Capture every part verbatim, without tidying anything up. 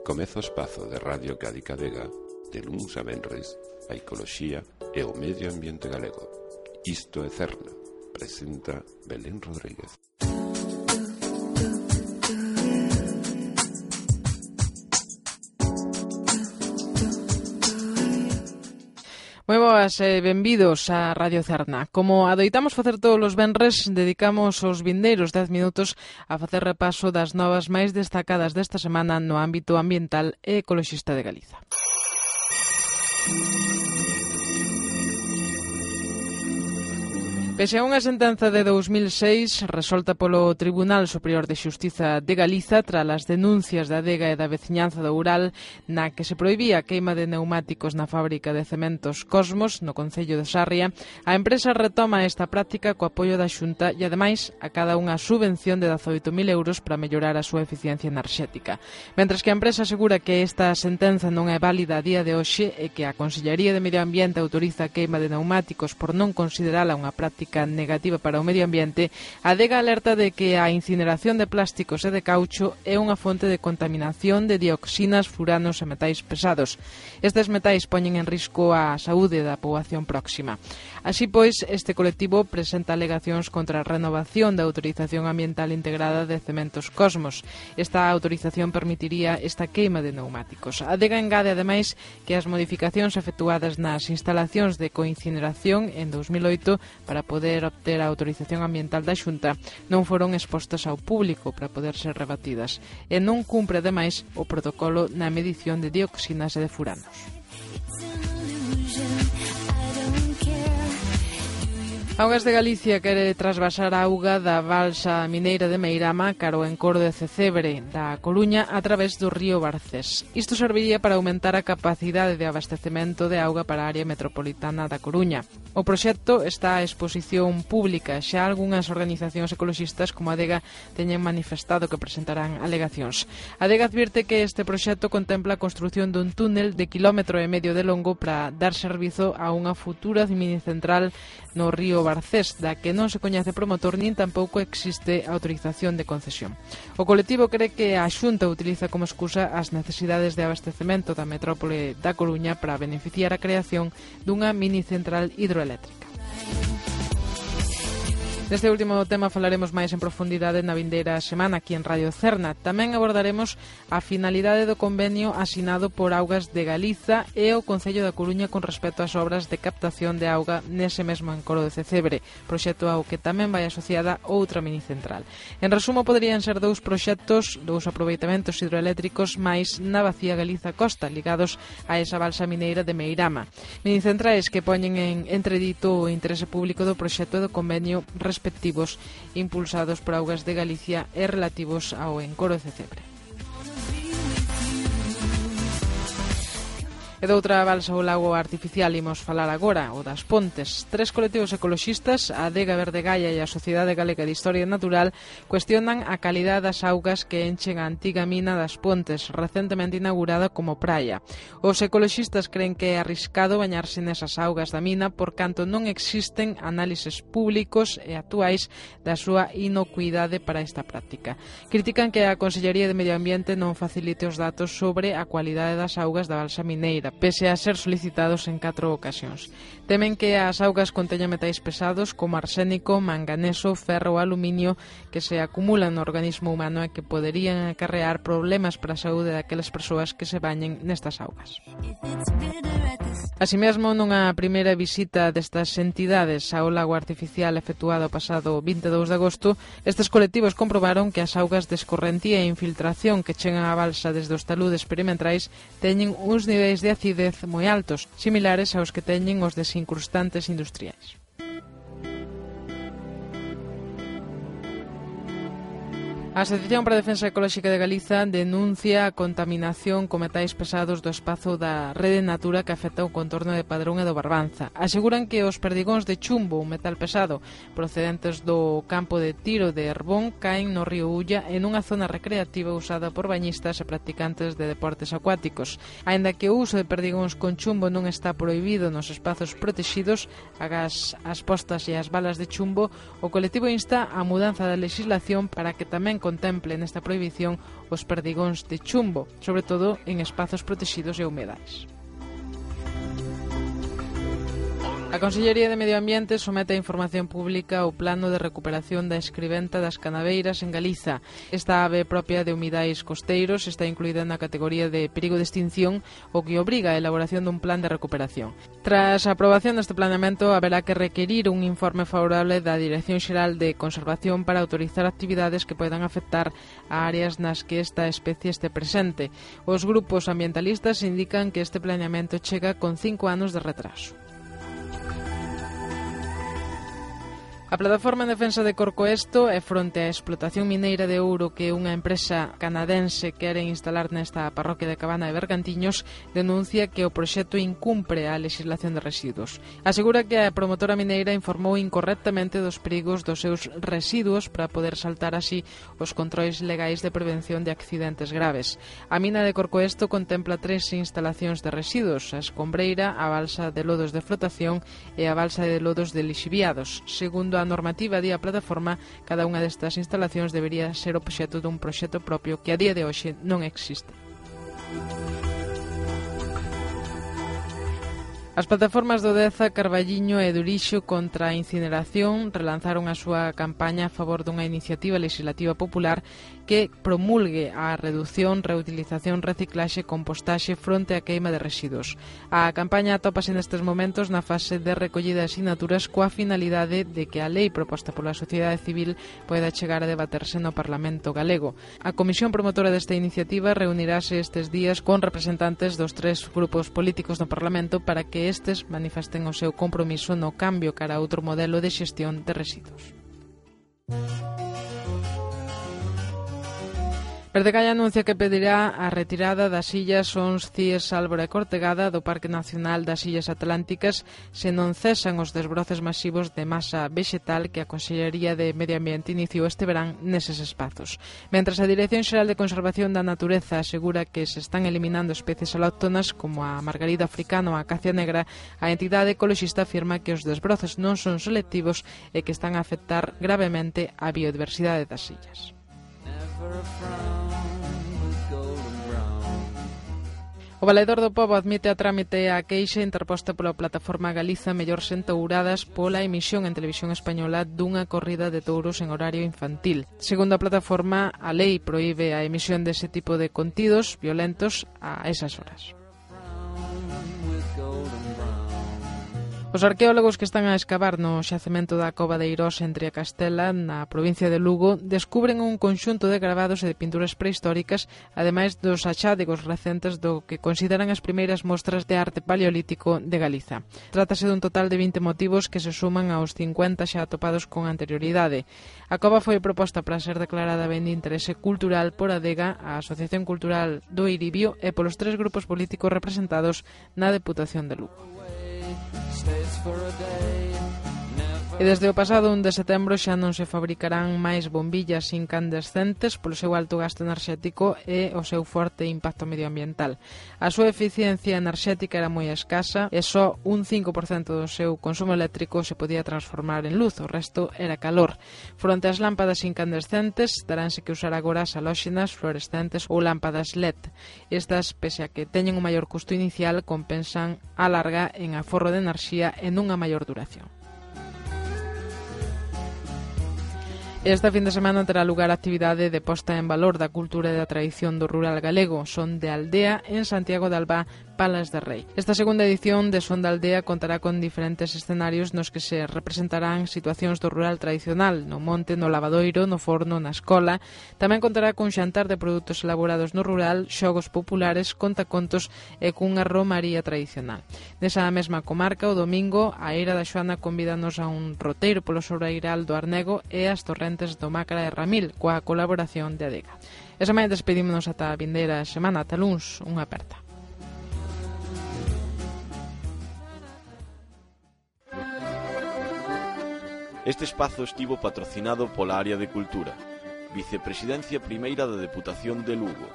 Comeza o espazo de Radio Cádiz Vega de luns a venres, a ecoloxía e o medio ambiente galego. Isto é Cerna, presenta Belén Rodríguez. Moi boas e benvidos a Radio Cerna. Como adoitamos facer todos os venres, dedicamos os vindeiros dez minutos a facer repaso das novas máis destacadas desta semana no ámbito ambiental e ecoloxista de Galiza. Pese a unha sentenza de dous mil seis resolta polo Tribunal Superior de Xustiza de Galiza tras as denuncias da Adega e da veciñanza do Ural na que se prohibía a queima de neumáticos na fábrica de cementos Cosmos no concello de Sarria, a empresa retoma esta práctica co apoio da Xunta e ademais acada unha subvención de dezaoito mil euros para mellorar a súa eficiencia enerxética. Mentres que a empresa asegura que esta sentenza non é válida a día de hoxe e que a Consellería de Medio Ambiente autoriza a queima de neumáticos por non considerala unha práctica negativa para o medio ambiente, a Adega alerta de que a incineración de plásticos e de caucho é unha fonte de contaminación de dioxinas, furanos e metais pesados. Estes metais poñen en risco a saúde da poboación próxima. Así pois, este colectivo presenta alegacións contra a renovación da autorización ambiental integrada de Cementos Cosmos. Esta autorización permitiría esta queima de neumáticos. A Adega engade, ademais, que as modificacións efectuadas nas instalacións de coincineración en dous mil oito para poder obter a autorización ambiental da Xunta non foron expostas ao público para poder ser rebatidas e non cumpre, ademais, o protocolo na medición de dioxinas e de furanos. Augas de Galicia quere trasvasar a auga da balsa mineira de Meirama cara ao encoro de Cecebre da Coruña a través do río Barcés. Isto serviría para aumentar a capacidade de abastecemento de auga para a área metropolitana da Coruña. O proxecto está a exposición pública. Xa algunhas organizacións ecoloxistas como a Adega teñen manifestado que presentarán alegacións. A Adega advirte que este proxecto contempla a construción dun túnel de quilómetro e medio de longo para dar servizo a unha futura minicentral no río Barcés, da que non se coñece promotor nin tampouco existe autorización de concesión. O colectivo cree que a Xunta utiliza como excusa as necesidades de abastecemento da metrópole da Coruña para beneficiar a creación dunha minicentral hidroeléctrica. Deste último tema falaremos máis en profundidade na vindeira semana aquí en Radio Cerna. Tamén abordaremos a finalidade do convenio asinado por Augas de Galiza e o Concello da Coruña con respecto ás obras de captación de auga nese mesmo encoro de Cecebre, proxecto ao que tamén vai asociada outra minicentral. En resumo, poderían ser dous proxectos, dous aproveitamentos hidroeléctricos máis na Bacía Galiza Costa, ligados a esa balsa mineira de Meirama. Minicentrais que poñen en entredito o interese público do proxecto do convenio respectivos impulsados por Augas de Galicia e relativos ao encoro de Cecebre. E doutra balsa ou lago artificial imos falar agora, o das Pontes. Tres colectivos ecoloxistas, a Adega Verde Gaia e a Sociedade Galega de Historia Natural, cuestionan a calidade das augas que enchen a antiga mina das Pontes, recentemente inaugurada como praia. Os ecoloxistas creen que é arriscado bañarse nesas augas da mina por canto non existen análises públicos e actuais da súa inocuidade para esta práctica. Critican que a Consellería de Medio Ambiente non facilite os datos sobre a cualidade das augas da balsa mineira, pese a ser solicitados en catro ocasións. Temen que as augas conteñan metais pesados como arsénico, manganeso, ferro ou aluminio que se acumulan no organismo humano e que poderían acarrear problemas para a saúde daquelas persoas que se bañen nestas augas. Así mesmo, nunha primeira visita destas entidades ao lago artificial efectuado o pasado vinte e dous de agosto, estes colectivos comprobaron que as augas de escorrentía e infiltración que chegan á balsa desde os taludes perimetrais teñen uns niveis de acidez moi altos, similares aos que teñen os desincrustantes industriais. A Asociación para a Defensa Ecolóxica de Galiza denuncia a contaminación con metais pesados do espazo da Rede Natura que afecta o contorno de Padrón e do Barbanza. Aseguran que os perdigóns de chumbo, un metal pesado, procedentes do campo de tiro de Herbón, caen no río Ulla en unha zona recreativa usada por bañistas e practicantes de deportes acuáticos. Aínda que o uso de perdigóns con chumbo non está prohibido nos espazos protexidos, agás as postas e as balas de chumbo, o colectivo insta a mudanza da legislación para que tamén contemple nesta prohibición os perdigóns de chumbo, sobre todo en espazos protegidos e humedais. A Consellería de Medio Ambiente somete a información pública o plano de recuperación da escriventa das canaveiras en Galiza. Esta ave propia de humidais costeiros está incluída na categoría de perigo de extinción, o que obriga a elaboración dun plan de recuperación. Tras a aprobación deste planeamento, haberá que requerir un informe favorable da Dirección Xeral de Conservación para autorizar actividades que poidan afectar a áreas nas que esta especie este presente. Os grupos ambientalistas indican que este planeamento chega con cinco anos de retraso. A Plataforma en Defensa de Corcoesto é fronte á explotación mineira de ouro que unha empresa canadense quere instalar nesta parroquia de Cabana de Bergantiños, denuncia que o proxecto incumpre a legislación de residuos. Asegura que a promotora mineira informou incorrectamente dos perigos dos seus residuos para poder saltar así os controis legais de prevención de accidentes graves. A mina de Corcoesto contempla tres instalacións de residuos: a escombreira, a balsa de lodos de flotación e a balsa de lodos de lixiviados. Segundo a normativa di a plataforma, cada unha destas instalacións debería ser obxecto dun proxecto propio que a día de hoxe non existe. As plataformas do Deza, Carballiño e Durixo contra a incineración relanzaron a súa campaña a favor dunha iniciativa legislativa popular que promulgue a reducción, reutilización, reciclaxe e compostaxe fronte á queima de residuos. A campaña atópase nestes momentos na fase de recollida de asinaturas coa finalidade de que a lei proposta pola sociedade civil poida chegar a debaterse no Parlamento galego. A comisión promotora desta iniciativa reunirase estes días con representantes dos tres grupos políticos no Parlamento para que estes manifesten o seu compromiso no cambio cara a outro modelo de xestión de residuos. Verdecalla anuncia que pedirá a retirada das illas Ons, Cíes, Álvora e Cortegada do Parque Nacional das Illas Atlánticas se non cesan os desbroces masivos de masa vexetal que a Consellería de Medio Ambiente iniciou este verán neses espazos. Mentras a Dirección Xeral de Conservación da Natureza asegura que se están eliminando especies alóctonas como a margarida africana ou a acacia negra, a entidade ecoloxista afirma que os desbroces non son selectivos e que están a afectar gravemente a biodiversidade das illas. O Valedor do Pobo admite a trámite a queixa interposta pola plataforma Galiza Mellores Entouradas pola emisión en televisión española dunha corrida de touros en horario infantil. Segundo a plataforma, a lei proíbe a emisión dese tipo de contidos violentos a esas horas. Os arqueólogos que están a escavar no xacemento da Cova de Eirós entre a Castela, na provincia de Lugo, descubren un conxunto de gravados e de pinturas prehistóricas, ademais dos achádegos recentes do que consideran as primeiras mostras de arte paleolítico de Galiza. Trátase dun total de vinte motivos que se suman aos cincuenta xa atopados con anterioridade. A cova foi proposta para ser declarada ben de interese cultural por a Adega, a Asociación Cultural do Eiribio e polos tres grupos políticos representados na Deputación de Lugo. E desde o pasado un de setembro xa non se fabricarán máis bombillas incandescentes polo seu alto gasto enerxético e o seu forte impacto medioambiental. A súa eficiencia enerxética era moi escasa e só un cinco por cento do seu consumo eléctrico se podía transformar en luz, o resto era calor. Fronte ás lámpadas incandescentes, teránse que usar agora as halóxenas, fluorescentes ou lámpadas L E D. Estas, pese a que teñen un maior custo inicial, compensan a larga en aforro de enerxía e nunha maior duración. Esta fin de semana terá lugar a actividade de posta en valor da cultura e da tradición do rural galego, Son de Aldea, en Santiago de Albá, Palas de Rei. Esta segunda edición de Son de Aldea contará con diferentes escenarios nos que se representarán situacións do rural tradicional, no monte, no lavadoiro, no forno, na escola. Tamén contará con xantar de produtos elaborados no rural, xogos populares, contacontos e cunha romaría tradicional. Nesa mesma comarca, o domingo, a Eira da Xoana convídanos a un roteiro polo sobreiral do Arnego e as torrentes do Mácara e Ramil, coa colaboración de Adega. Esa mañá despedímonos ata a vindeira semana, ata luns, unha aperta. Este espazo estivo patrocinado pola Área de Cultura, Vicepresidencia Primeira da Deputación de Lugo,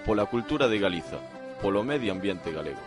pola Cultura de Galiza, polo Medio Ambiente Galego.